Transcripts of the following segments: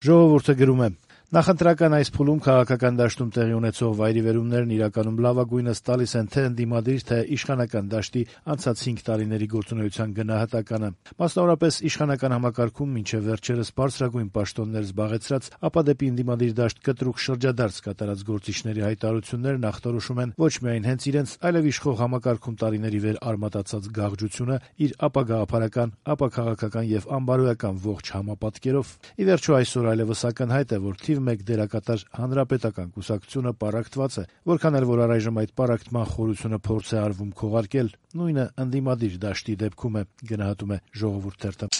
Ժողովուրդը գրում է. Նախընտրական այս փուլում քաղաքական դաշտում տեղի ունեցող վայրիվերումներն իրականում լավագույնս տալիս են թե ընդդիմադիր, թե իշխանական դաշտի անցած 5 տարիների գործունեության գնահատականը։ Մասնավորապես իշխանական համակարգում մինչև վերջերս բարձրագույն պաշտոններ զբաղեցրած, ապա դեպի ընդդիմադիր դաշտ կտրուկ շրջադարձ կատարած գործիչների հայտարարություններն ախտորոշում են ոչ միայն հենց իրենց, այլև իշխող համակարգում տարիների վեր արմատացած գաղջությունը իր ապագաղափարական, ապաքաղաքական եւ անբարոյական ողջ համապատկերով։ Ի վերջո այսօր այլևս ակնհայտ է, որ թիվ 1 դերակատար Հանրապետական կուսակցությունը պառակտված է, որքան էլ որ առայժմ այդ պառակտման խորությունը փորձ է արվում քողարկել, նույնը ընդդիմադիր դաշտի դեպքում է, գնահատում է Ժողովուրդ թերթը։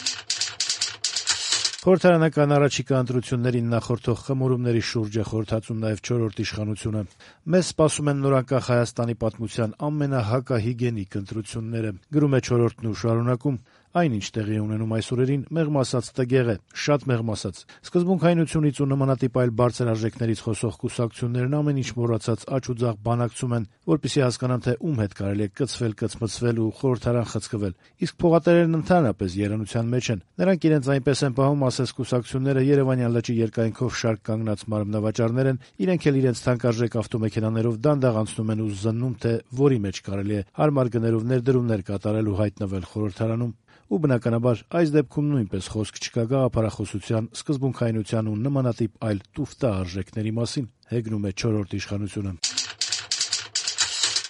Խորհրդարանական առաջիկա ընտրություններին նախորդող խմորումների շուրջ է խորհրդածում նաև 4-րդ իշխանությունը։ Մեզ սպասում են նորանկախ Հայաստանի պատմության ամենահակահիգենիկ ընտրությունները, գրում է 4-րդն ու շարունակում. Այն, ինչ տեղի է ունենում այս օրերին, մեղմ ասած տգեղ է, շատ մեղմ ասած։ Սկզբունքայնությունից ու նմանատիպ այլ բարձր արժեքներից խոսող կուսակցություններն ամեն ինչ մոռացած աջ ու ձախ բանակցում են, որպեսզի հասկանան, թե ում հետ կարելի է կծվել, կծմծվել ու խորհրդարան խցկվել։ Իսկ փողատերերն ընդհանրապես երանության մեջ են։ Նրանք իրենց այնպես են պահում, ասես կուսակցությունները Երևանյան լճի երկայնքով շարք կանգնած մարմնավաճառներ են, իրենք էլ իրենց թանկարժեք ավտոմեքենաներով դանդաղ անցնում են ու զննում, թե որի մեջ կարելի է հարմար գներով ներդրումներ կատարել ու հայտնվել խորհրդարանում։ Ու բնականաբար այս դեպքում նույնպես խոսք չկա գաղափարախոսության, սկզբունքայնության ու նմանատիպ այլ տուֆտա արժեքների մասին, հեգնում է 4-րդ իշխանությունը։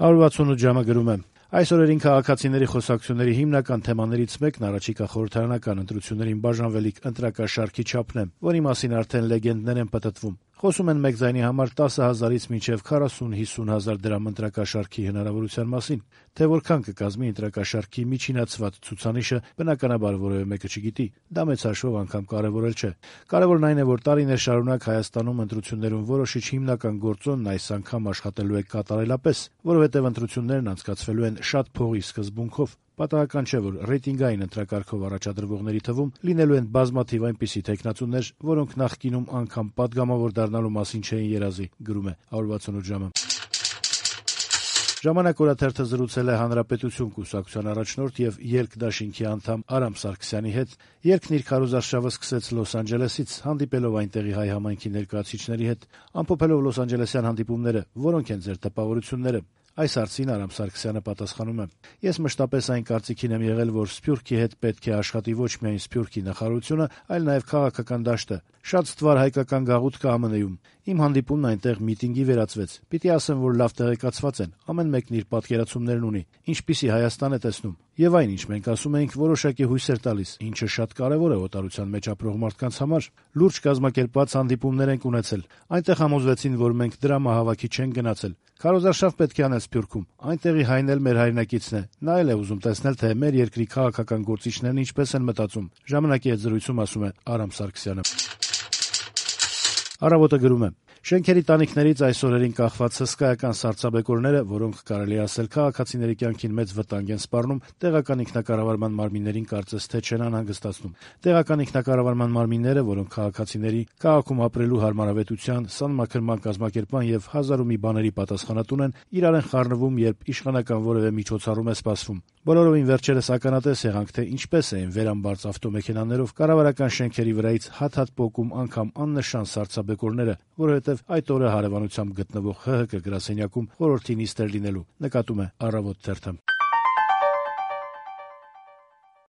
168 ժամը գրում է. Այս օրերին քաղաքացիների խոսակցությունների հիմնական թեմաներից մեկն առաջիկա խորհրդարանական ընտրություններին բաժանվելիք ընտրակաշարքի չափն է, որի մասին արդեն լեգենդներ են պտտվում։ Խոսում են մեկ ձայնի համար 10,000-ից մինչև 40-50 հազար դրամ ընտրակաշարքի հնարավորության մասին, թե որքան կկազմի ընտրակաշարքի միջինացված ցուցանիշը, բնականաբար որևէ մեկը չգիտի, դա մեծ հաշվով անգամ կարևորել չէ։ Կարևորն այն է, որ տարիներ շարունակ Հայաստանում ընտրություններում որոշիչ հիմնական գործոնն այս անգամ աշխատելու է կատարելապես, որովհետև ընտրություններն անցկացվելու են շատ փողի սկզբունքով։ Պատահական չէ, որ ռեյտինգային ընտրակարգով առաջադրվողների թվում լինելու են բազմաթիվ այնպիսի թեկնածուներ, որոնք նախկինում անգամ պատգամավոր դառնալու մասին չէին երազի, գրում է 168 ժամը։ Ժամանակ օրաթերթը զրուցել է Հանրապետություն կուսակցության առաջնորդ եւ Ելք դաշինքի անդամ Արամ Սարգսյանի հետ։ Ելքն իր քարոզարշավը սկսեց Լոս Անջելեսից, հանդիպելով այնտեղի հայ համայնքի ներկայացուցիչների հետ, ամփոփելով լոս անջելեսյան հանդիպումները, որոնք են ձեր տպավորությունները։ Այս հարցին Արամ Սարգսյանը պատասխանում է. Ես մշտապես այն կարծիքին եմ եղել, որ Սփյուռքի հետ պետք է աշխատի ոչ միայն Սփյուռքի նախարարությունը, այլ նաև քաղաքական դաշտը։ Շատ ստվար հայկական գաղութ կա ԱՄՆ-ում։ Իմ հանդիպումն այնտեղ միտինգի վերածվեց։ Պիտի ասեմ, որ լավ տեղեկացված են, ամեն մեկն իր պատկերացումներն ունի, ինչպիսի Հայաստան է տեսնում։ Եվ այն, ինչ մենք ասում էինք, որոշակի հույսեր տալիս, ինչը շատ կարևոր է օտարության մեջ ապրող մարդկանց համար։ Լուրջ կազմակերպված հանդիպումներ ենք ունեցել։ Այնտեղ համոզվեցին, որ մենք դրամահավաքի չենք գնացել։ Քարոզարշավ պետք է անել Սփյուռքում։ Այնտեղի հայն էլ մեր հայրենակիցն է։ Նա էլ է ուզում տեսնել, թե մեր երկրի քաղաքական գործիչներն ինչպես են մտածում։ Ժամանակի հետ զրույցում ասում է Արամ Սարգսյանը։ Առավոտը գրում է. Շենքերի տանիքներից այս օրերին կախված հսկայական սառցաբեկորները, որոնք կարելի է ասել քաղաքացիների կյանքին մեծ վտանգ են սպառնում, տեղական ինքնակառավարման մարմիններին կարծես թե չեն անհանգստացնում։ Տեղական ինքնակառավարման մարմինները, որոնք քաղաքացիների քաղաքում ապրելու հարմարավետության, սանմաքրման կազմակերպման եւ հազար ու մի բաների պատասխանատուն են, իրար են խառնվում, երբ իշխանական որևէ միջոցառում է սպասվում։ Բոլորովին վերջերս ականատես եղանք, թե ինչպես էին վերամբարձ ավտոմեքենաներով կառավարական շենքերի վրայից հատ-հատ պոկում անգամ աննշան սառցաբեկորները, որովհետև այդ օրը հարևանությամբ գտնվող ՀՀԿ գրասենյակում խորհրդի նիստ էր լինելու, նկատում է Առավոտ թերթը։